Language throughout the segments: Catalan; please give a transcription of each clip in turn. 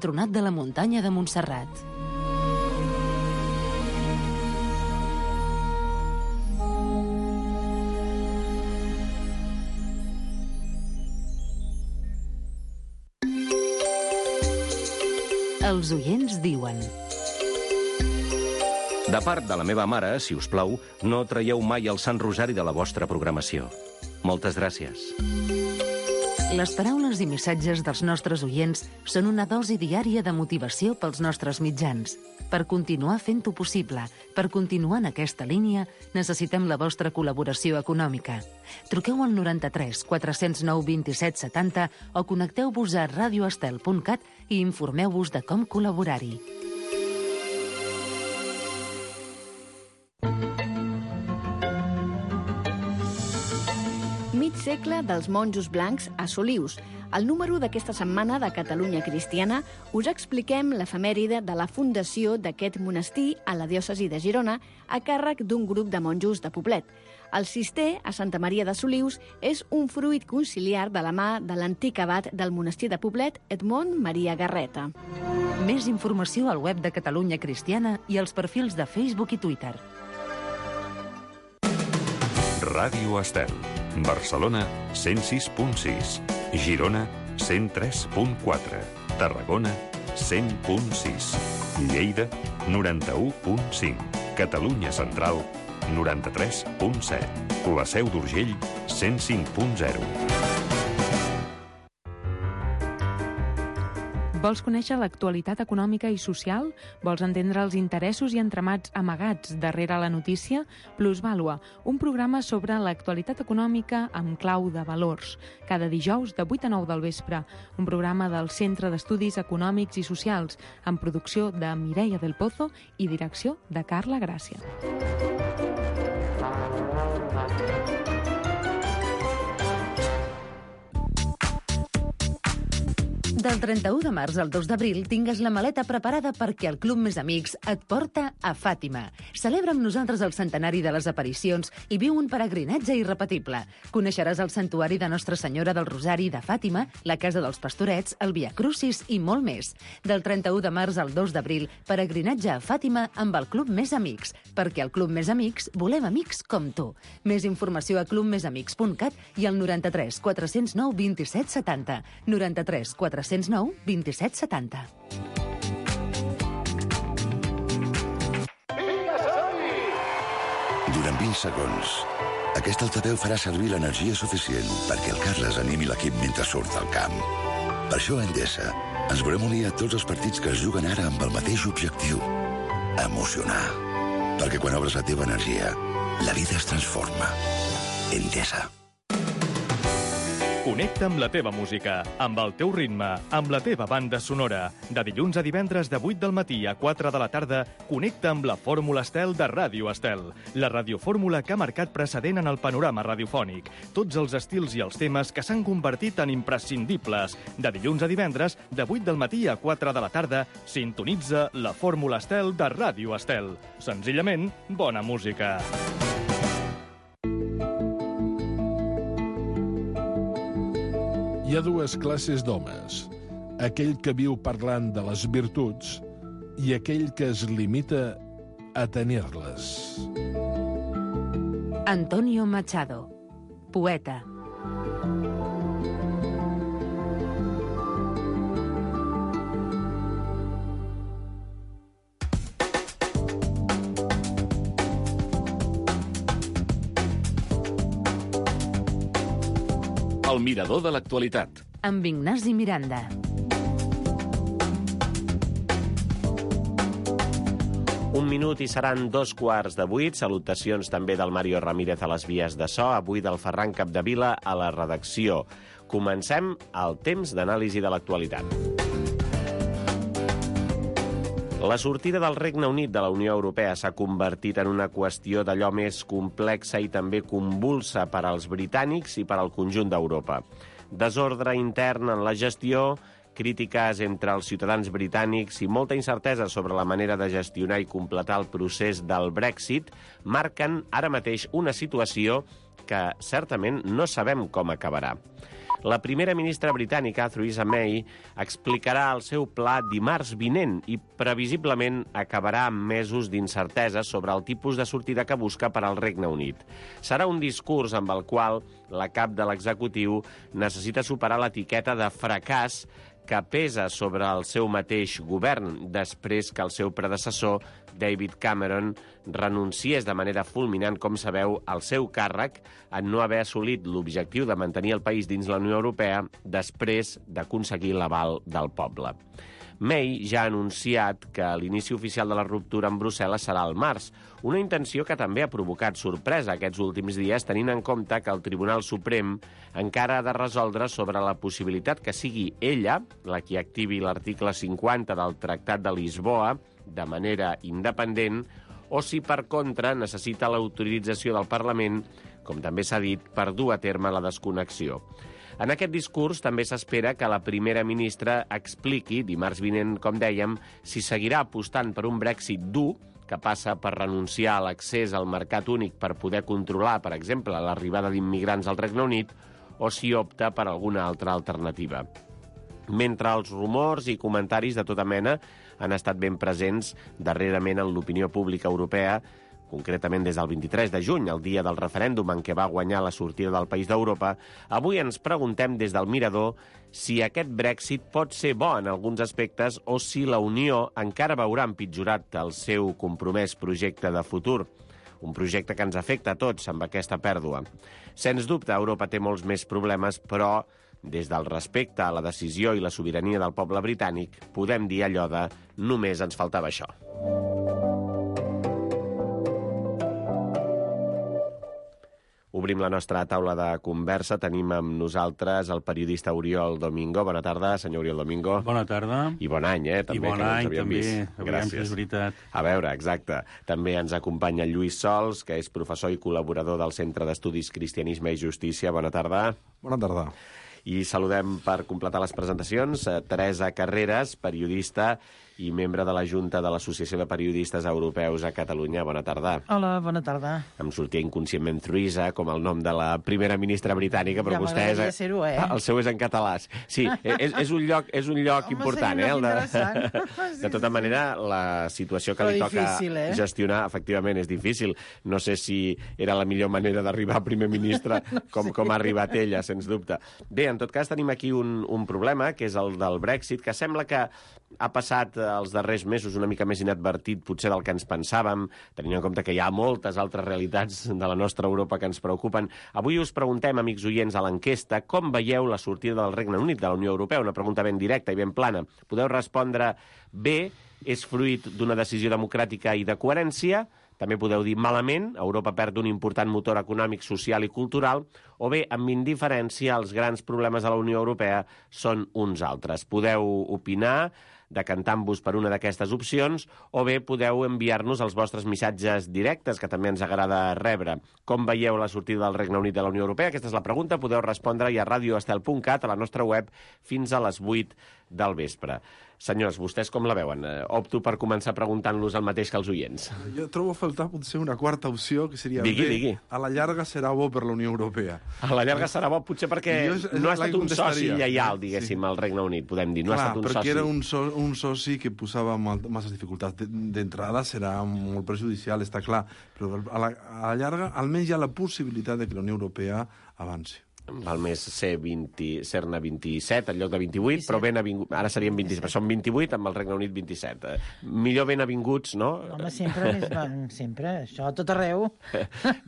entronat de la muntanya de Montserrat. Els oients diuen... De part de la meva mare, si us plau, no traieu mai el Sant Rosari de la vostra programació. Moltes gràcies. Les paraules i missatges dels nostres oients són una dosi diària de motivació pels nostres mitjans. Per continuar fent-ho possible, per continuar en aquesta línia, necessitem la vostra col·laboració econòmica. Truqueu al 93 409 27 70 o connecteu-vos a radioestel.cat i informeu-vos de com col·laborar-hi. Mig segle dels monjos blancs a Solius. Al número d'aquesta setmana de Catalunya Cristiana us expliquem l'efemèride de la fundació d'aquest monestir a la diòcesi de Girona a càrrec d'un grup de monjos de Poblet. El cister, a Santa Maria de Solius, és un fruit conciliar de la mà de l'antic abat del monestir de Poblet, Edmond Maria Garreta. Més informació al web de Catalunya Cristiana i als perfils de Facebook i Twitter. Ràdio Estel. Barcelona, 106.6. Girona, 103.4. Tarragona, 100.6. Lleida, 91.5. Catalunya Central, 93.7. La Seu d'Urgell, 105.0. Vols conèixer l'actualitat econòmica i social? Vols entendre els interessos i entramats amagats darrere la notícia? Plusvàlua, un programa sobre l'actualitat econòmica amb clau de valors. Cada dijous de 8 a 9 del vespre. Un programa del Centre d'Estudis Econòmics i Socials, amb producció de Mireia del Pozo i direcció de Carla Gràcia. Del 31 de març al 2 d'abril tingues la maleta preparada perquè el Club Més Amics et porta a Fàtima. Celebra amb nosaltres el centenari de les aparicions i viu un peregrinatge irrepetible. Coneixeràs el santuari de Nostra Senyora del Rosari de Fàtima, la Casa dels Pastorets, el Via Crucis i molt més. Del 31 de març al 2 d'abril, peregrinatge a Fàtima amb el Club Més Amics, perquè al Club Més Amics volem amics com tu. Més informació a clubmesamics.cat i al 93 409 27 70. 93 409 27 70. Durant 20 segons, aquest altaveu farà servir l'energia suficient perquè el Carles animi l'equip mentre surt al camp. Per això a Endesa ens volem unir a tots els partits que es juguen ara amb el mateix objectiu: emocionar. Perquè quan obres la teva energia, la vida es transforma. Endesa. Connecta amb la teva música, amb el teu ritme, amb la teva banda sonora. De dilluns a divendres de 8 del matí a 4 de la tarda, connecta amb la Fórmula Estel de Ràdio Estel. La radiofórmula que ha marcat precedent en el panorama radiofònic. Tots els estils i els temes que s'han convertit en imprescindibles. De dilluns a divendres, de 8 del matí a 4 de la tarda, sintonitza la Fórmula Estel de Ràdio Estel. Senzillament, bona música. Hi ha dues classes d'homes, aquell que viu parlant de les virtuts i aquell que es limita a tenir-les. Antonio Machado, poeta. El mirador de l'actualitat. Amb Ignasi Miranda. Un minut i seran 7:15. Salutacions també del Mario Ramírez a les vies de so, avui del Ferran Capdevila a la redacció. Comencem el temps d'anàlisi de l'actualitat. La sortida del Regne Unit de la Unió Europea s'ha convertit en una qüestió d'allò més complexa i també convulsa per als britànics i per al conjunt d'Europa. Desordre intern en la gestió, crítiques entre els ciutadans britànics i molta incertesa sobre la manera de gestionar i completar el procés del Brexit marquen ara mateix una situació que certament no sabem com acabarà. La primera ministra britànica, Theresa May, explicarà el seu pla dimarts vinent i previsiblement acabarà amb mesos d'incertesa sobre el tipus de sortida que busca per al Regne Unit. Serà un discurs amb el qual la cap de l'executiu necessita superar l'etiqueta de fracàs que pesa sobre el seu mateix govern després que el seu predecessor, David Cameron, renunciés de manera fulminant, com sabeu, al seu càrrec en no haver assolit l'objectiu de mantenir el país dins la Unió Europea després d'aconseguir l'aval del poble. May ja ha anunciat que l'inici oficial de la ruptura amb Brussel·les serà al març, una intenció que també ha provocat sorpresa aquests últims dies, tenint en compte que el Tribunal Suprem encara ha de resoldre sobre la possibilitat que sigui ella la qui activi l'article 50 del Tractat de Lisboa de manera independent o si, per contra, necessita l'autorització del Parlament, com també s'ha dit, per dur a terme la desconnexió. En aquest discurs també s'espera que la primera ministra expliqui, dimarts vinent, com dèiem, si seguirà apostant per un Brexit dur, que passa per renunciar a l'accés al mercat únic per poder controlar, per exemple, l'arribada d'immigrants al Regne Unit, o si opta per alguna altra alternativa. Mentre els rumors i comentaris de tota mena han estat ben presents darrerament en l'opinió pública europea, concretament des del 23 de juny, el dia del referèndum en què va guanyar la sortida del país d'Europa, avui ens preguntem des del mirador si aquest Brexit pot ser bo en alguns aspectes o si la Unió encara veurà empitjorat el seu compromès projecte de futur. Un projecte que ens afecta a tots amb aquesta pèrdua. Sens dubte, Europa té molts més problemes, però des del respecte a la decisió i la sobirania del poble britànic, podem dir allò de només ens faltava això. Obrim la nostra taula de conversa. Tenim amb nosaltres el periodista Oriol Domingo. Bona tarda, senyor Oriol Domingo. Bona tarda. I bon any, també. I bon any, també. Gràcies. És veritat. A veure, exacte. També ens acompanya Lluís Sols, que és professor i col·laborador del Centre d'Estudis Cristianisme i Justícia. Bona tarda. Bona tarda. I saludem per completar les presentacions Teresa Carreras, periodista i membre de la Junta de l'Associació de Periodistes Europeus a Catalunya. Bona tarda. Hola, bona tarda. Em sortia inconscientment Theresa, com el nom de la primera ministra britànica, però ja vostè és... ser-ho, el seu és en català. Sí, és un lloc important, De tota manera, la situació que però li toca difícil, gestionar, efectivament, és difícil. No sé si era la millor manera d'arribar a primer ministre, com ha arribat ella, sens dubte. Bé, en tot cas, tenim aquí un problema, que és el del Brexit, que sembla que ha passat els darrers mesos una mica més inadvertit potser del que ens pensàvem, tenint en compte que hi ha moltes altres realitats de la nostra Europa que ens preocupen. Avui us preguntem, amics oients, a l'enquesta, com veieu la sortida del Regne Unit de la Unió Europea? Una pregunta ben directa i ben plana. Podeu respondre bé, és fruit d'una decisió democràtica i de coherència. També podeu dir malament, Europa perd un important motor econòmic, social i cultural, o bé, amb indiferència, els grans problemes de la Unió Europea són uns altres. Podeu opinar, decantant-vos per una d'aquestes opcions, o bé podeu enviar-nos els vostres missatges directes, que també ens agrada rebre. Com veieu la sortida del Regne Unit de la Unió Europea? Aquesta és la pregunta. Podeu respondre-hi a radioestel.cat, a la nostra web, fins a les 8 del vespre. Senyors, vostès com la veuen? Opto per començar preguntant-los el mateix que els oients. Jo trobo a faltar potser una quarta opció, que seria digui. A la llarga serà bo per la Unió Europea. A la llarga serà bo potser perquè no ha estat un soci lleial, diguéssim, al Regne Unit, podem dir. No ha estat un soci. Perquè era un soci que posava masses dificultats. D'entrada serà molt perjudicial, està clar, però a la llarga almenys hi ha la possibilitat de que la Unió Europea avanci. Val més ser-ne 27 en lloc de 28, però ben avingut, ara serien 27, són 28 amb el Regne Unit 27. Millor ben avinguts, no? Home, sempre, això a tot arreu.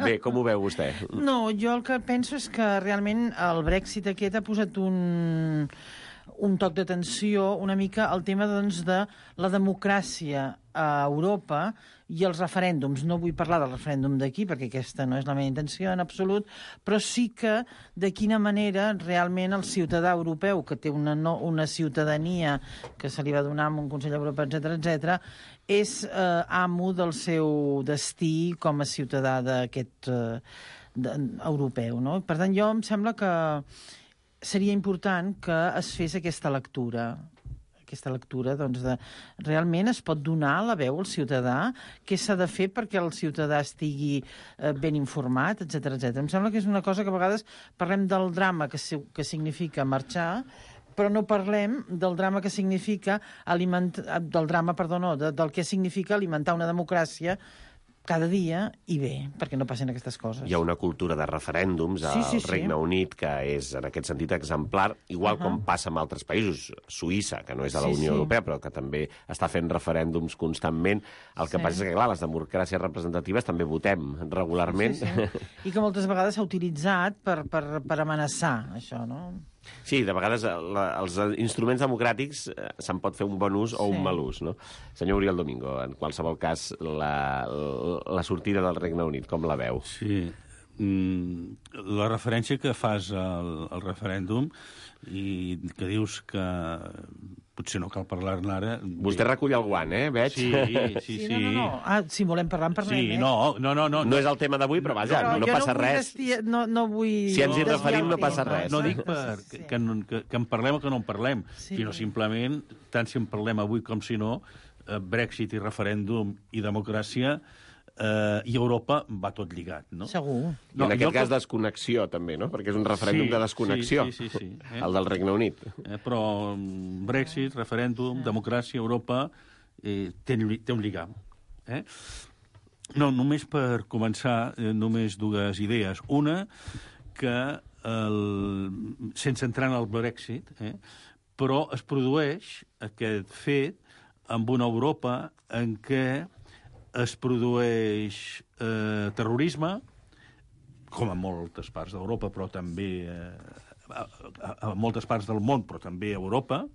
Bé, com ho veu vostè? No, jo el que penso és que realment el Brexit aquest ha posat un toc d'atenció una mica al tema doncs, de la democràcia a Europa i els referèndums. No vull parlar del referèndum d'aquí, perquè aquesta no és la meva intenció en absolut, però sí que de quina manera realment el ciutadà europeu, que té una ciutadania que se li va donar amb un Consell Europeu, etc., és amo del seu destí com a ciutadà d'aquest europeu. No? Per tant, jo em sembla que seria important que es fes aquesta lectura, aquesta lectura, doncs, de realment es pot donar la veu al ciutadà, què s'ha de fer perquè el ciutadà estigui ben informat, etc etc. Em sembla que és una cosa que a vegades parlem del drama que significa marxar, però no parlem del drama que significa del que significa alimentar una democràcia cada dia i bé, perquè no passen aquestes coses. Hi ha una cultura de referèndums al Regne Unit que és, en aquest sentit, exemplar, igual com passa en altres països. Suïssa, que no és a la Unió Europea, però que també està fent referèndums constantment. El que passa és que, clar, les democràcies representatives també votem regularment. I que moltes vegades s'ha utilitzat per amenaçar, això, no? Sí, de vegades els instruments democràtics se'n pot fer un bon ús o un mal ús, no? Senyor Oriol Domingo, en qualsevol cas, la sortida del Regne Unit, com la veu? Sí, la referència que fas al referèndum i que dius que potser no cal parlar-ne ara... Vostè recull el guant, veig? Sí. No. si volem parlar, en parlem. Sí, no. No és el tema d'avui, però vaja, no passa res. No vull... Si ens hi referim, no passa res. No dic que en parlem o que no en parlem, sinó simplement, tant si en parlem avui com si no, Brexit i referèndum i democràcia i Europa va tot lligat, no? Segur. I en aquest cas desconnexió, també, no? Perquè és un referèndum de desconnexió, el del Regne Unit. Però Brexit, referèndum, democràcia, Europa, té un lligam. No, només per començar, només dues idees. Una, que sense entrar en el Brexit, però es produeix aquest fet amb una Europa en què es produeix terrorisme, com a moltes parts d'Europa, però també a moltes parts del món, però també a Europa,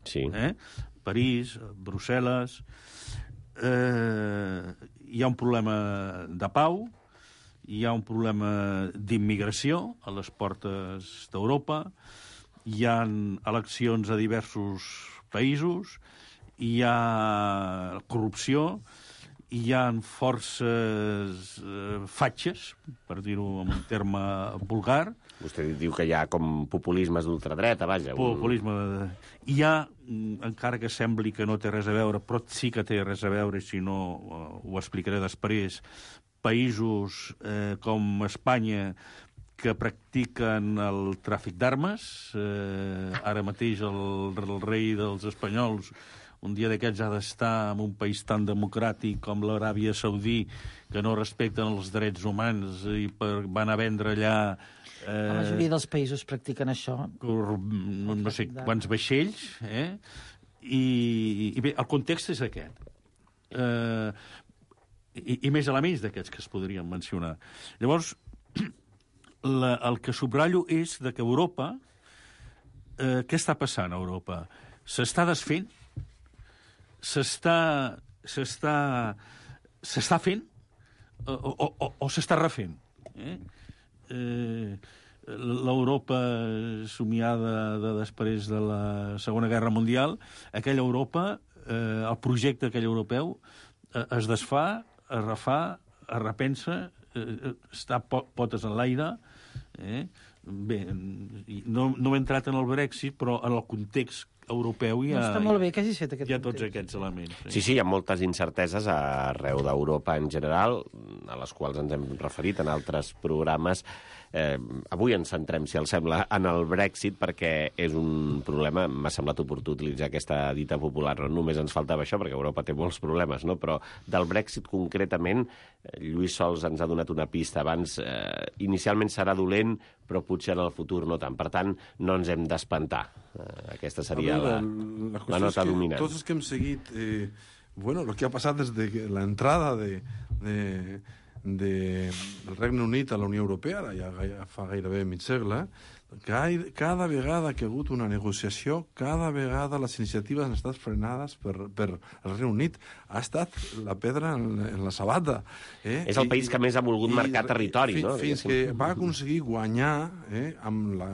París, Brussel·les. Hi ha un problema de pau, hi ha un problema d'immigració a les portes d'Europa, hi ha eleccions a diversos països, hi ha corrupció, hi ha forces fatxes, per dir-ho en un terme vulgar. Vostè diu que hi ha com populismes d'ultradreta, vaja. Populisme. Hi ha, encara que sembli que no té res a veure, però sí que té res a veure, si no ho explicaré després, països com Espanya que practiquen el tràfic d'armes. Ara mateix el rei dels espanyols un dia d'aquests ha d'estar en un país tan democràtic com l'Aràbia Saudí, que no respecten els drets humans i van a vendre allà... La majoria dels països practiquen això. No sé quants vaixells, I bé, el context és aquest. I més elements d'aquests que es podrien mencionar. Llavors, el que subratllo és de que Europa... Què està passant a Europa? S'està desfent? S'està fent o s'està refent? L'Europa somiada de després de la Segona Guerra Mundial, aquella Europa, el projecte aquell europeu, es desfà, es refà, es repensa, està potes en l'aire. Bé, no he entrat en el Brexit, però en el context europeu hi ha, està molt bé que hagis fet aquest hi ha tots aquests elements. Sí, hi ha moltes incerteses arreu d'Europa en general, a les quals ens hem referit en altres programes. Avui ens centrem, si els sembla, en el Brexit, perquè és un problema, m'ha semblat oportú utilitzar aquesta dita popular, no només ens faltava això, perquè Europa té molts problemes, no? Però del Brexit concretament, Lluís Sols ens ha donat una pista abans, inicialment serà dolent, però potser en el futur no tant. Per tant, no ens hem d'espantar. Aquesta seria la nota dominant. Tots els que hem seguit lo que ha passat des de l'entrada del Regne Unit a la Unió Europea, ja fa gairebé mig segle, cada vegada que ha hagut una negociació, cada vegada les iniciatives han estat frenades per el Regne Unit. Ha estat la pedra en la sabata. És el país que més ha volgut marcar territori, no? Fins que va aconseguir guanyar amb la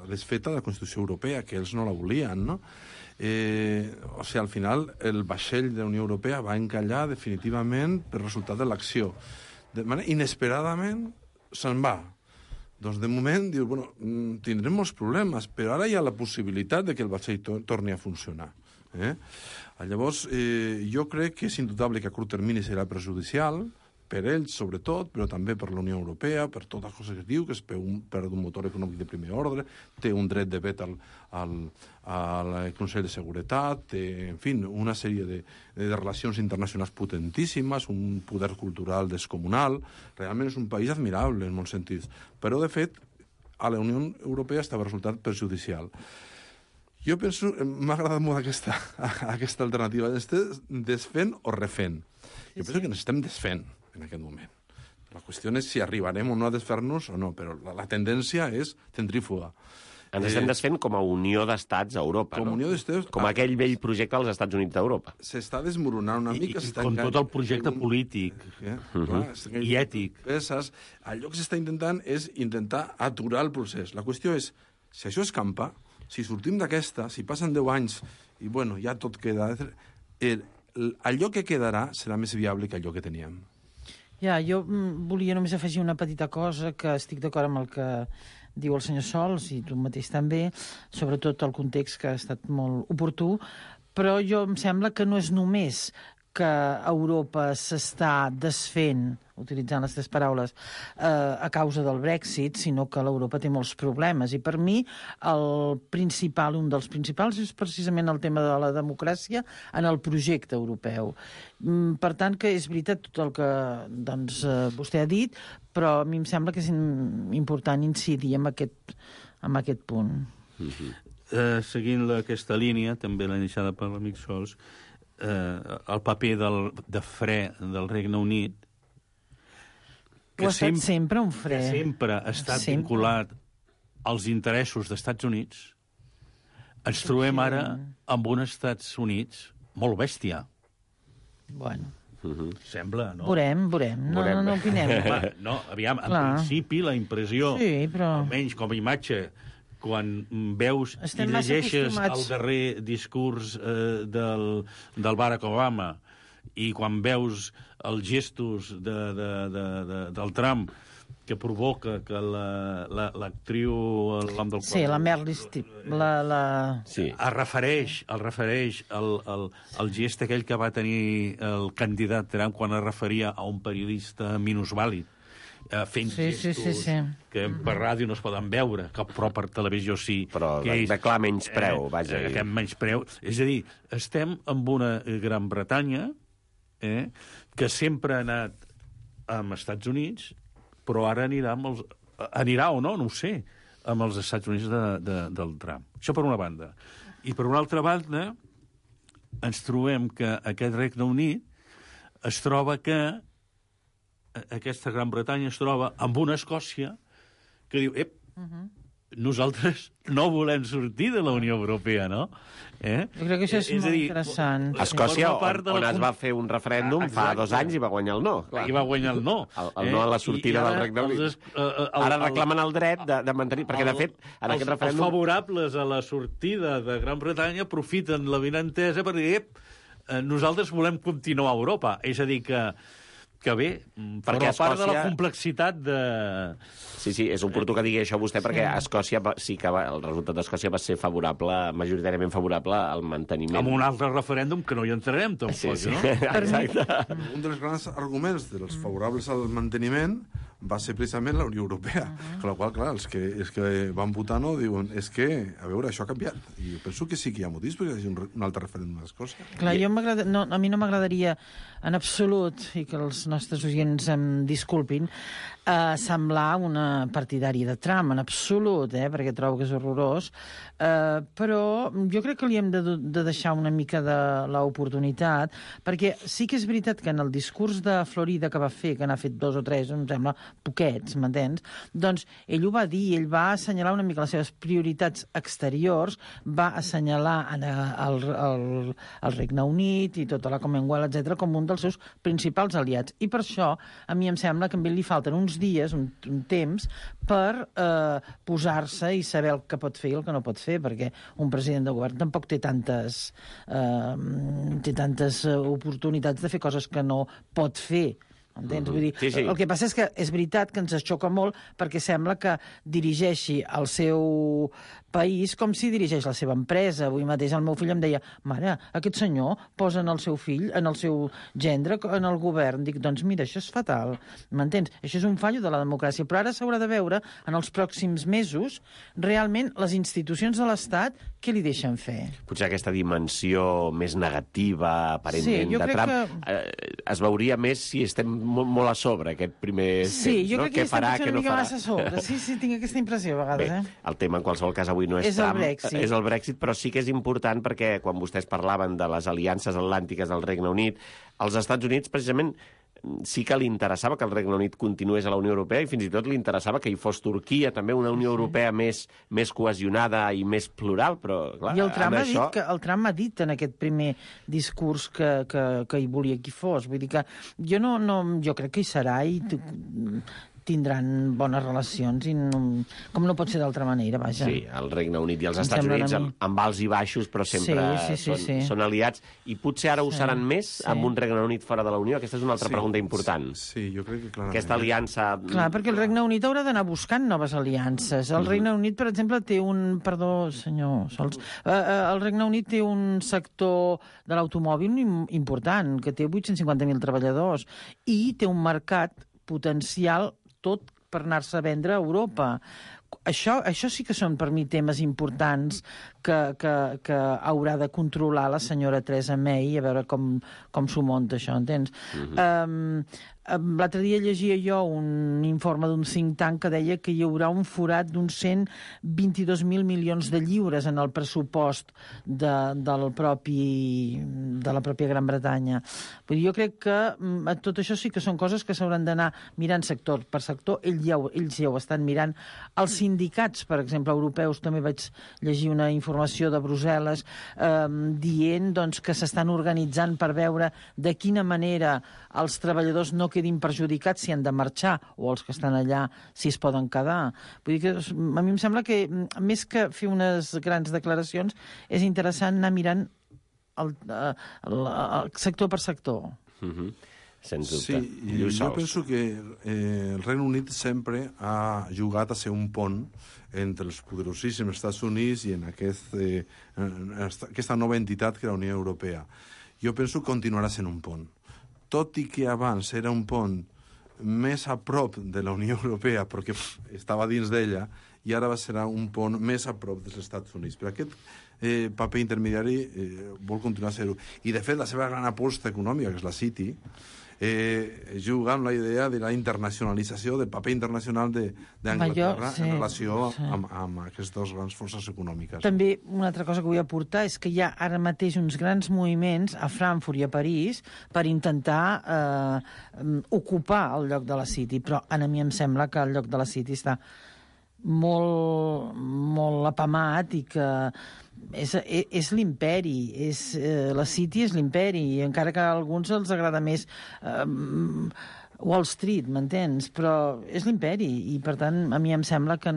desfeta de la Constitució Europea, que ells no la volien, no? O sigui, al final, el vaixell de la Unió Europea va encallar definitivament per resultat de l'acció. De manera inesperadament se'n va. Doncs de moment diu, tindrem molts problemes, però ara hi ha la possibilitat de que el vaixell torni a funcionar. Llavors, jo crec que és indubtable que a curt termini serà perjudicial, per ells sobretot, però també per la Unió Europea, per totes les coses que es diu, que es perd un motor econòmic de primer ordre, té un dret de vet al Consell de Seguretat, té, en fi, una sèrie de relacions internacionals potentíssimes, un poder cultural descomunal. Realment és un país admirable en molts sentits. Però, de fet, a la Unió Europea estava resultat perjudicial. Jo penso, m'ha agradat molt aquesta alternativa, estem desfent o refent. Jo penso que ens estem desfent en aquest moment. La qüestió és si arribarem o no a desfer-nos o no, però la tendència és centrífuga. Ens estem desfent com a Unió d'Estats a Europa, no? Unió d'Estats... Com aquell vell projecte dels Estats Units d'Europa. S'està desmoronant una mica... I com tot el projecte polític i ètic. Allò que s'està intentant és intentar aturar el procés. La qüestió és, si això escampa, si sortim d'aquesta, si passen 10 anys i, bueno, ja tot queda... Allò que quedarà serà més viable que allò que teníem. Ja, jo volia només afegir una petita cosa, que estic d'acord amb el que diu el senyor Sols, i tu mateix també, sobretot el context que ha estat molt oportú, però jo em sembla que no és només que Europa s'està desfent, utilitzant les tres paraules, a causa del Brexit, sinó que l'Europa té molts problemes. I per mi un dels principals és precisament el tema de la democràcia en el projecte europeu. Per tant, que és veritat tot el que vostè ha dit, però a mi em sembla que és important incidir en aquest punt. Seguint aquesta línia, també l'ha iniciada per l'amic Sols, el paper de fre del Regne Unit, que ha estat sempre un fre. Que sempre ha estat vinculat als interessos dels Estats Units, ens trobem ara amb uns Estats Units molt bèstia. Bueno. Sembla, no? Veurem. No opinem. No, aviam, en principi la impressió, almenys com a imatge, quan veus i llegeixes el darrer discurs del Barack Obama i quan veus els gestos del Trump que provoca que l'actriu... Sí, la Meryl Streep. El refereix al gest aquell que va tenir el candidat Trump quan es referia a un periodista minusvàlid, fent gestos que per ràdio no es poden veure, però per televisió sí. Però de clar menyspreu, vaja. Aquest menyspreu. És a dir, estem amb una Gran Bretanya que sempre ha anat amb Estats Units, però ara anirà o no, no ho sé, amb els Estats Units del Trump. Això per una banda. I per una altra banda, ens trobem que aquest Regne Unit es troba que aquesta Gran Bretanya es troba amb una Escòcia que diu, nosaltres no volem sortir de la Unió Europea, no? Jo crec que això és molt interessant. A Escòcia, on es va fer un referèndum fa 2 anys i va guanyar el no. I va guanyar el no. El no a la sortida del Regne Unit. Ara reclamen el dret de mantenir... Perquè, de fet, en aquest referèndum... Els favorables a la sortida de Gran Bretanya aprofiten la vinentesa per dir nosaltres volem continuar a Europa. És a dir, que bé, perquè a part de la complexitat de... Sí, és oportú que digui això vostè, perquè a Escòcia sí que el resultat d'Escòcia va ser favorable, majoritàriament favorable al manteniment. Amb un altre referèndum que no hi entrarem, tampoc, no? Exacte. Un dels grans arguments dels favorables al manteniment va ser precisament la Unió Europea. Amb la qual, clar, els que van votar no diuen és que, a veure, això ha canviat. I jo penso que sí que hi ha motius perquè hi hagi un altre referèndum d'Escòcia. Clar, a mi no m'agradaria en absolut, i que els nostres oients em disculpin, semblar una partidària de Trump, en absolut, perquè trobo que és horrorós, però jo crec que li hem de deixar una mica de l'oportunitat, perquè sí que és veritat que en el discurs de Florida que va fer, que n'ha fet 2 o 3, em sembla, poquets, m'entens? Doncs ell ho va dir, ell va assenyalar una mica les seves prioritats exteriors, va assenyalar el Regne Unit i tota la Commonwealth, etc., com un dels seus principals aliats. I per això, a mi em sembla que a ell li falten uns dies, un temps, per posar-se i saber el que pot fer i el que no pot fer, perquè un president de govern tampoc té tantes oportunitats de fer coses que no pot fer. Entens? Vull dir, sí. El que passa és que és veritat que ens xoca molt perquè sembla que dirigeixi el seu país com s'hi dirigeix la seva empresa. Avui mateix el meu fill em deia, mare, aquest senyor posa en el seu fill, en el seu gendre, en el govern. Dic, doncs mira, això és fatal, m'entens? Això és un fallo de la democràcia, però ara s'haurà de veure en els pròxims mesos realment les institucions de l'Estat què li deixen fer. Potser aquesta dimensió més negativa, aparentment, de Trump, es veuria més si estem molt a sobre aquest primer temps, sí, jo no? crec que estem potser una mica massa a sobre. Sí, tinc aquesta impressió a vegades. Bé, el tema en qualsevol cas avui no és Trump, és el Brexit, però sí que és important perquè quan vostès parlaven de les aliances atlàntiques del Regne Unit, als Estats Units precisament sí que li interessava que el Regne Unit continués a la Unió Europea i fins i tot li interessava que hi fos Turquia, també una Unió Europea més cohesionada i més plural, però clar, i el Trump ha dit en aquest primer discurs que hi volia que hi fos. Vull dir que jo crec que hi serà i tindran bones relacions i com no pot ser d'altra manera, vaja. Sí, el Regne Unit i els Estats Units amb alts i baixos, però sempre són aliats. I potser ara ho seran més amb un Regne Unit fora de la Unió? Aquesta és una altra pregunta important. Sí, jo crec que clarament. Aquesta aliança... Clar, perquè el Regne Unit haurà d'anar buscant noves aliances. El Regne Unit, per exemple, té un... Perdó, senyor Sols. El Regne Unit té un sector de l'automòbil important, que té 850.000 treballadors, i té un mercat potencial tot per anar-se a vendre a Europa. Això sí que són, per mi, temes importants que haurà de controlar la senyora Theresa May, a veure com s'ho munta això, entens? L'altre dia llegia jo un informe d'un think tank que deia que hi haurà un forat d'uns 122.000 milions de lliures en el pressupost de la pròpia Gran Bretanya. Jo crec que tot això sí que són coses que s'hauran d'anar mirant sector per sector. Ells ja ho estan mirant. Els sindicats, per exemple, europeus, també vaig llegir una informació de Brussel·les dient que s'estan organitzant per veure de quina manera els treballadors no quedin perjudicats si han de marxar, o els que estan allà si es poden quedar. Vull dir que a mi em sembla que, més que fer unes grans declaracions, és interessant anar mirant el sector per sector. Sens dubte. Sí, jo penso que el Regne Unit sempre ha jugat a ser un pont entre els poderosíssims Estats Units i en aquesta nova entitat que és la Unió Europea. Jo penso que continuarà sent un pont. Tot i que abans era un pont més a prop de la Unió Europea, perquè estava dins d'ella, i ara serà un pont més a prop dels Estats Units. Però aquest paper intermediari vol continuar a ser-ho. I, de fet, la seva gran aposta econòmica, que és la City, juga amb la idea de la internacionalització, del paper internacional d'Anglaterra en relació amb aquestes dues grans forces econòmiques. També una altra cosa que vull aportar és que hi ha ara mateix uns grans moviments a Frankfurt i a París per intentar ocupar el lloc de la City, però a mi em sembla que el lloc de la City està molt apamat i que és l'imperi, la City és l'imperi, i encara que a alguns els agrada més Wall Street, m'entens? Però és l'imperi, i per tant a mi em sembla que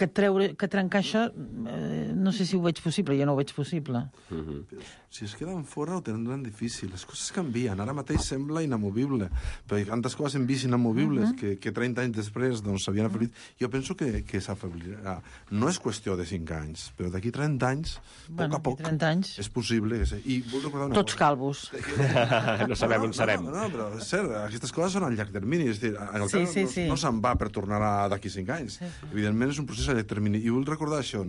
trencar això no sé si ho veig possible, jo no ho veig possible. Si es queden fora ho tindran difícil, les coses canvien, ara mateix sembla inamovible, però tantes coses hem vist inamovibles que 30 anys després s'havien afeblit. Jo penso que s'afeblirà. No és qüestió de 5 anys, però d'aquí 30 anys, a poc, és possible. I vull recordar una cosa. Tots calvos. No sabem on serem. No, però és cert, aquestes coses són a llarg termini, és a dir, Anglaterra no se'n va per tornar d'aquí 5 anys. Evidentment és un procés a llarg termini. I vull recordar això,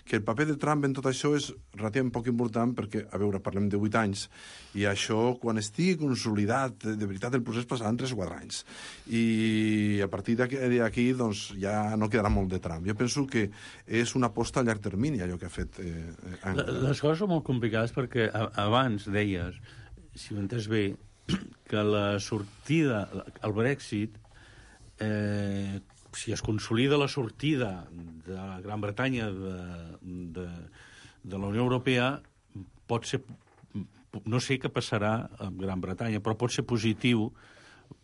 que el paper de Trump en tot això és relativament poc important perquè, a veure, parlem de 8 anys, i això, quan estigui consolidat, de veritat, el procés passaran 3 o 4 anys. I a partir d'aquí, ja no quedarà molt de Trump. Jo penso que és una aposta a llarg termini, allò que ha fet Angela. Les coses són molt complicades perquè abans deies, si ho he entès bé, que la sortida, el Brexit, si es consolida la sortida de la Gran Bretanya de la Unió Europea, pot ser, no sé què passarà amb Gran Bretanya, però pot ser positiu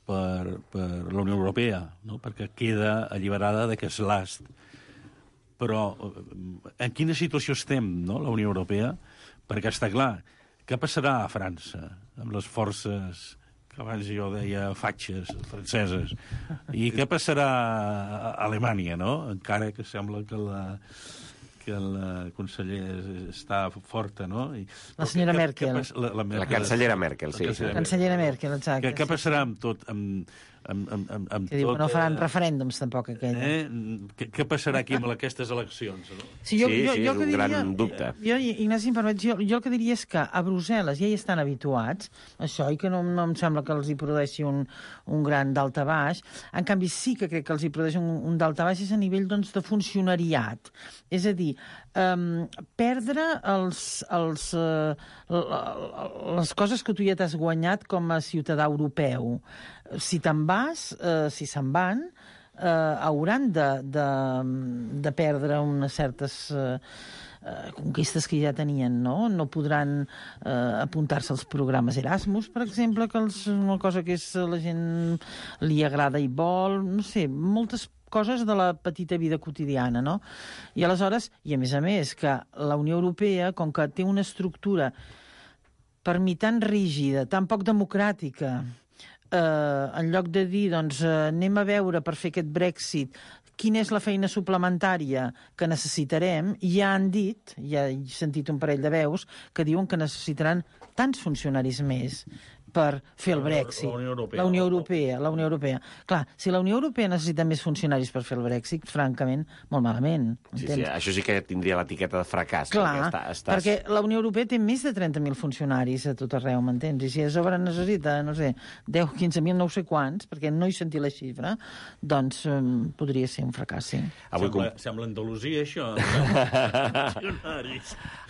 per la Unió Europea, no? Perquè queda alliberada d'aquest last. Però en quina situació estem, no?, la Unió Europea? Perquè està clar, què passarà a França amb les forces abans jo deia fatxes franceses. I què passarà a Alemanya, no? Encara que sembla que el conseller està forta, no? La senyora Merkel. La cancellera Merkel, sí. La cancellera Merkel, exacte. Què passarà amb tot? Que diu que no faran referèndums, tampoc, aquest. Què passarà aquí amb aquestes eleccions? No? Sí, és un gran dubte. Ignasi, em permet, jo el que diria és que a Brussel·les ja hi estan habituats, això, i que no em sembla que els hi produeixi un gran daltabaix. En canvi, sí que crec que els hi produeix un daltabaix és a nivell, doncs, de funcionariat. És a dir, perdre les coses que tu ja t'has guanyat com a ciutadà europeu. Si te'n vas, si se'n van, hauran de perdre unes certes conquistes que ja tenien, no? No podran apuntar-se als programes Erasmus, per exemple, que és una cosa que la gent li agrada i vol, no sé, moltes coses de la petita vida quotidiana, no? I aleshores, i a més, que la Unió Europea, com que té una estructura per mi tan rígida, tan poc democràtica, en lloc de dir, doncs, anem a veure per fer aquest Brexit quina és la feina suplementària que necessitarem, ja han dit, ja he sentit un parell de veus, que diuen que necessitaran tants funcionaris més per fer el Brexit. La Unió Europea. Clar, si la Unió Europea necessita més funcionaris per fer el Brexit, francament, molt malament. Sí, això sí que tindria l'etiqueta de fracàs. Clar, perquè la Unió Europea té més de 30.000 funcionaris a tot arreu, m'entens? I si a sobre necessita, no sé, 10, 15.000, no sé quants, perquè no he sentit la xifra, doncs podria ser un fracàs, sí. Sembla Andalusia, això.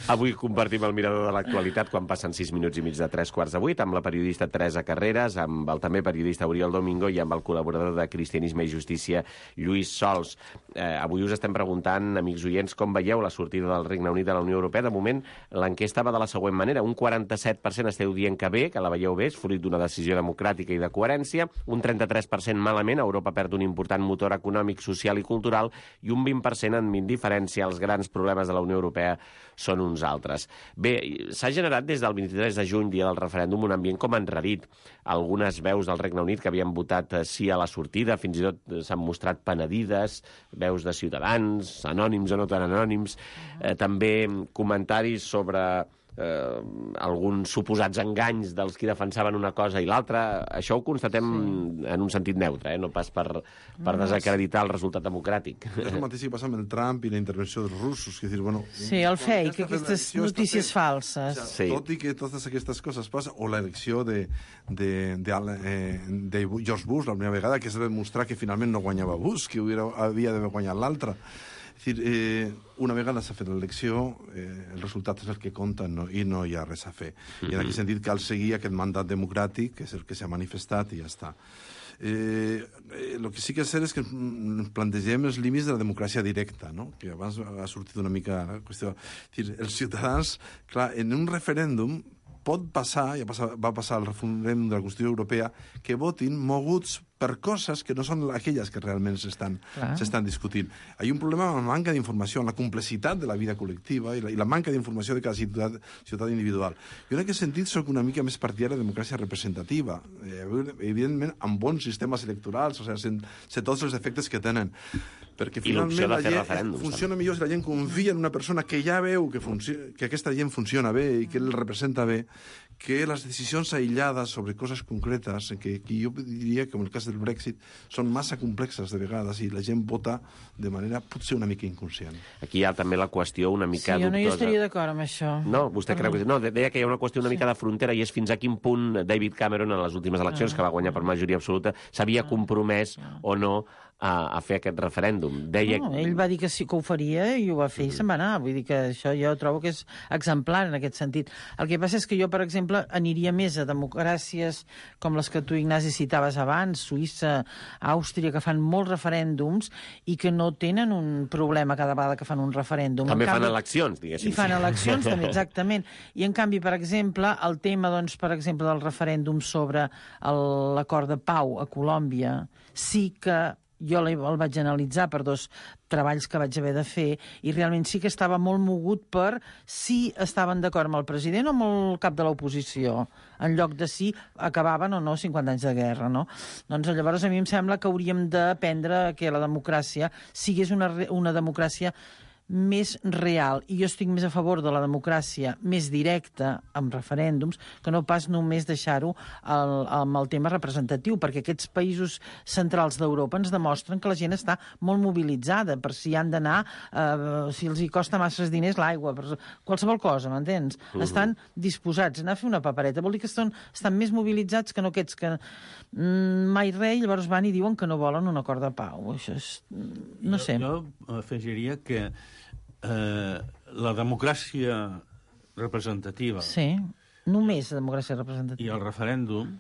Avui compartim el mirador de l'actualitat quan passen 6 minuts i mig de 3:15, amb la periodista Teresa Carreras, amb el també periodista Oriol Domingo i amb el col·laborador de Cristianisme i Justícia, Lluís Sols. Avui us estem preguntant, amics oients, com veieu la sortida del Regne Unit de la Unió Europea. De moment, l'enquesta va de la següent manera. Un 47% esteu dient que bé, que la veieu bé, és fruit d'una decisió democràtica i de coherència. Un 33% malament, Europa perd un important motor econòmic, social i cultural, i un 20% amb indiferència. Els grans problemes de la Unió Europea són uns altres. Bé, s'ha generat des del 23 de juny, dia del referèndum, un ambient com enrarit. Algunes veus del Regne Unit que havien votat sí a la sortida, fins i tot s'han mostrat penedides, veus de ciutadans, anònims o no tan anònims, també comentaris sobre alguns suposats enganys dels qui defensaven una cosa i l'altra. Això ho constatem en un sentit neutre, no pas per desacreditar el resultat democràtic. És el mateix que passa amb el Trump i la intervenció dels russos. Que dir, bueno, sí, el fake, aquestes notícies falses. Tot i que totes aquestes coses passen, o l'elecció de George Bush la primera vegada, que es va demostrar que finalment no guanyava Bush, que havia d'haver guanyat l'altre. És dir, una vegada s'ha fet l'elecció, el resultat és el que compta, i no hi ha res a fer. I en aquest sentit cal seguir aquest mandat democràtic, que és el que s'ha manifestat, i ja està. El que sí que és cert és que plantegem els límits de la democràcia directa, no? Que abans ha sortit una mica la qüestió. És dir, els ciutadans, clar, en un referèndum pot passar, va passar al referèndum de la Constitució Europea, que votin moguts per coses que no són aquelles que realment s'estan discutint. Hi ha un problema amb la manca d'informació, amb la complexitat de la vida col·lectiva i la manca d'informació de cada ciutadà individual. Jo en aquest sentit soc una mica més partidari de democràcia representativa, evidentment amb bons sistemes electorals, o sigui, sé tots els efectes que tenen, perquè finalment la gent funciona millor si la gent confia en una persona que ja veu que aquesta gent funciona bé i que el representa bé, que les decisions aïllades sobre coses concretes, que jo diria que en el cas del Brexit són massa complexes de vegades i la gent vota de manera potser una mica inconscient. Aquí hi ha també la qüestió una mica dubtosa. Sí, jo no hi estaria d'acord amb això. No, vostè creu que... No, deia que hi ha una qüestió una mica de frontera i és fins a quin punt David Cameron en les últimes eleccions, que va guanyar per majoria absoluta, s'havia compromès o no a fer aquest referèndum. No, ell va dir que sí que ho faria i ho va fer i se'n va anar. Vull dir que això jo trobo que és exemplar en aquest sentit. El que passa és que jo, per exemple, aniria més a democràcies com les que tu, Ignasi, citaves abans, Suïssa, Àustria, que fan molts referèndums i que no tenen un problema cada vegada que fan un referèndum. També fan eleccions, diguéssim. I fan eleccions, també, exactament. I, en canvi, per exemple, el tema, doncs, per exemple, del referèndum sobre l'acord de pau a Colòmbia, sí que jo el vaig analitzar per 2 treballs que vaig haver de fer i realment sí que estava molt mogut per si estaven d'acord amb el president o amb el cap de l'oposició, en lloc de si acabaven o no 50 anys de guerra, no? Doncs llavors a mi em sembla que hauríem d'aprendre que la democràcia sigués una democràcia més real. I jo estic més a favor de la democràcia més directa, amb referèndums, que no pas només deixar-ho amb el tema representatiu, perquè aquests països centrals d'Europa ens demostren que la gent està molt mobilitzada per si han d'anar, si els hi costa masses diners l'aigua, per qualsevol cosa, m'entens? Estan disposats a anar a fer una papereta. Vol dir que estan més mobilitzats que no aquests que mai res, llavors van i diuen que no volen un acord de pau. Això és... no sé. Jo afegiria que la democràcia representativa... Sí, només la democràcia representativa. I el referèndum...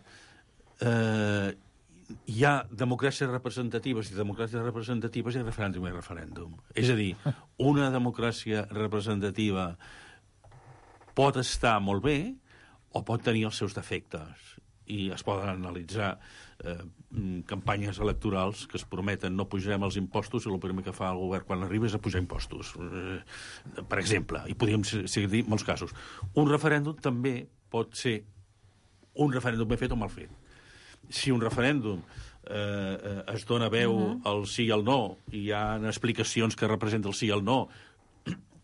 hi ha democràcies representatives i democràcies representatives i referèndum i referèndum. És a dir, una democràcia representativa pot estar molt bé o pot tenir els seus defectes. I es poden analitzar campanyes electorals que es prometen no pujarem els impostos i el primer que fa el govern quan arriba és a pujar impostos. Per exemple, i podríem seguir molts casos. Un referèndum també pot ser un referèndum ben fet o mal fet. Si un referèndum es dona veu al sí i al no i hi ha explicacions que representen el sí i el no,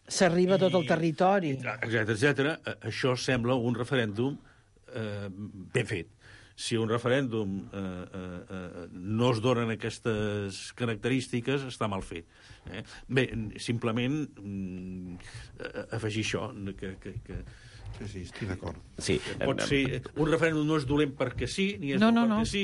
s'arriba a tot el territori, etcètera, això sembla un referèndum ben fet. Si un referèndum no es donen aquestes característiques, està mal fet. Bé, simplement afegir això, que Sí, estic d'acord. Sí. Pot ser, un referèndum no és dolent perquè sí, ni és bo perquè sí,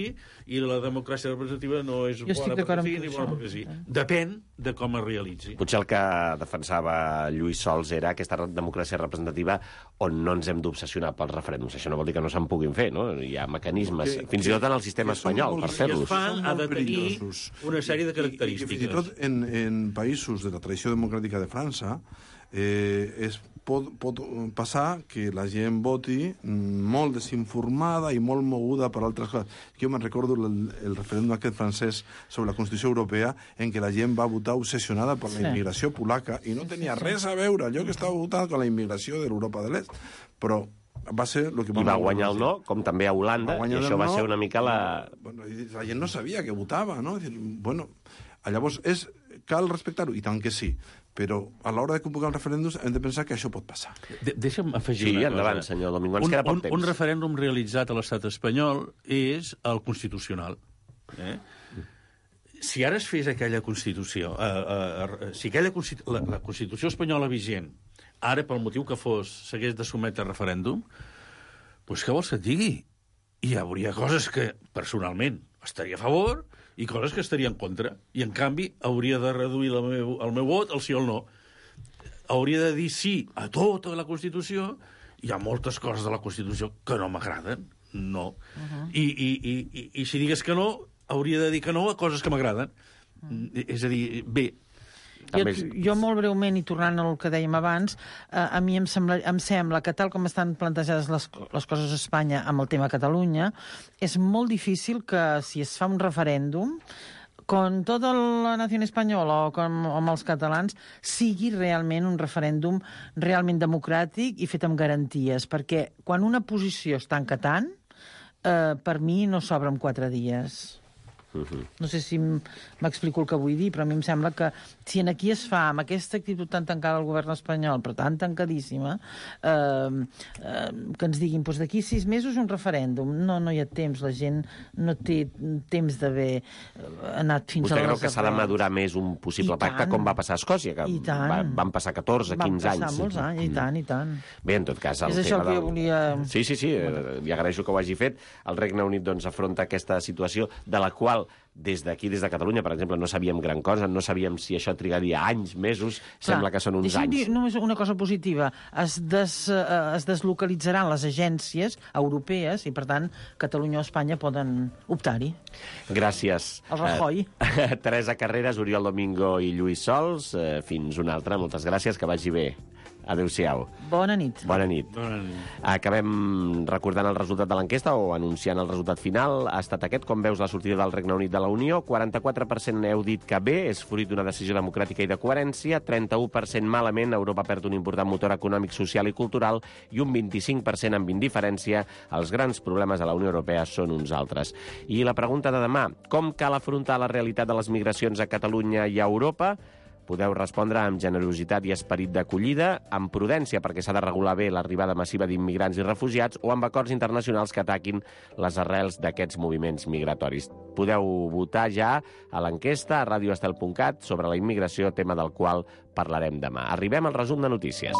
i la democràcia representativa no és bona perquè sí, ni bona perquè sí. Depèn de com es realitzi. Potser el que defensava Lluís Sols era aquesta democràcia representativa on no ens hem d'obsessionar pels referèndums. Això no vol dir que no se'n puguin fer, no? Hi ha mecanismes, fins i tot en el sistema espanyol, per fer-los. I es fan ha de tenir una sèrie de característiques. I fins i tot en països de la tradició democràtica de França pot passar que la gent voti molt desinformada i molt moguda per altres coses. Jo me'n recordo el referèndum aquest francès sobre la Constitució Europea en què la gent va votar obsessionada per la immigració polaca i no tenia res a veure allò que estava votant amb la immigració de l'Europa de l'Est. Però va ser el que I va guanyar el no, com també a Holanda, i això va ser una mica la... Bueno, la gent no sabia que votava, no? Bueno, llavors cal respectar-ho, i tant que sí, però a l'hora de convocar els referèndums hem de pensar que això pot passar. Deixa'm afegir una cosa. Endavant, senyor Domingo, ens queda poc temps. Un referèndum realitzat a l'estat espanyol és el constitucional. Si ara es fes aquella Constitució, si la Constitució espanyola vigent, ara, pel motiu que fos, s'hagués de sotmetre a referèndum, doncs què vols que et digui? Hi hauria coses que, personalment, estaria a favor i coses que estaria en contra. I, en canvi, hauria de reduir el meu vot al sí o al no. Hauria de dir sí a tota la Constitució. Hi ha moltes coses de la Constitució que no m'agraden. No. I si digués que no, hauria de dir que no a coses que m'agraden. És a dir, bé... Jo molt breument, i tornant al que dèiem abans, a mi em sembla que tal com estan plantejades les coses a Espanya amb el tema Catalunya, és molt difícil que si es fa un referèndum con tota la nació espanyola o amb els catalans, sigui realment un referèndum realment democràtic i fet amb garanties, perquè quan una posició es tanca tant, per mi no s'obre en 4 dies. No sé si m'explico el que vull dir, però a mi em sembla que si aquí es fa amb aquesta actitud tan tancada al govern espanyol, però tan tancadíssima, que ens diguin d'aquí 6 mesos un referèndum. No hi ha temps, la gent no té temps d'haver anat fins a les... Vostè creu que s'ha de madurar més un possible pacte, com va passar a Escòcia, que van passar 14, 15 anys? Van passar molts anys, i tant. Bé, en tot cas, el és això tema que jo volia... Sí, li agraeixo que ho hagi fet. El Regne Unit afronta aquesta situació de la qual des d'aquí, des de Catalunya, per exemple, no sabíem gran cosa, no sabíem si això trigaria anys, mesos, sembla que són uns anys. Deixa'm dir només una cosa positiva. Es deslocalitzaran les agències europees i, per tant, Catalunya o Espanya poden optar-hi. Gràcies. El Rajoy. Teresa Carreras, Oriol Domingo i Lluís Sols. Fins una altra. Moltes gràcies, que vagi bé. Adéu-siau. Bona nit. Bona nit. Acabem recordant el resultat de l'enquesta o anunciant el resultat final. Ha estat aquest, com veus, la sortida del Regne Unit de la Unió. 44% heu dit que bé, és fruit d'una decisió democràtica i de coherència. 31% malament, Europa perd un important motor econòmic, social i cultural. I un 25% amb indiferència. Els grans problemes de la Unió Europea són uns altres. I la pregunta de demà, com cal afrontar la realitat de les migracions a Catalunya i a Europa? Podeu respondre amb generositat i esperit d'acollida, amb prudència perquè s'ha de regular bé l'arribada massiva d'immigrants i refugiats o amb acords internacionals que ataquin les arrels d'aquests moviments migratoris. Podeu votar ja a l'enquesta a radioestel.cat sobre la immigració, tema del qual parlarem demà. Arribem al resum de notícies.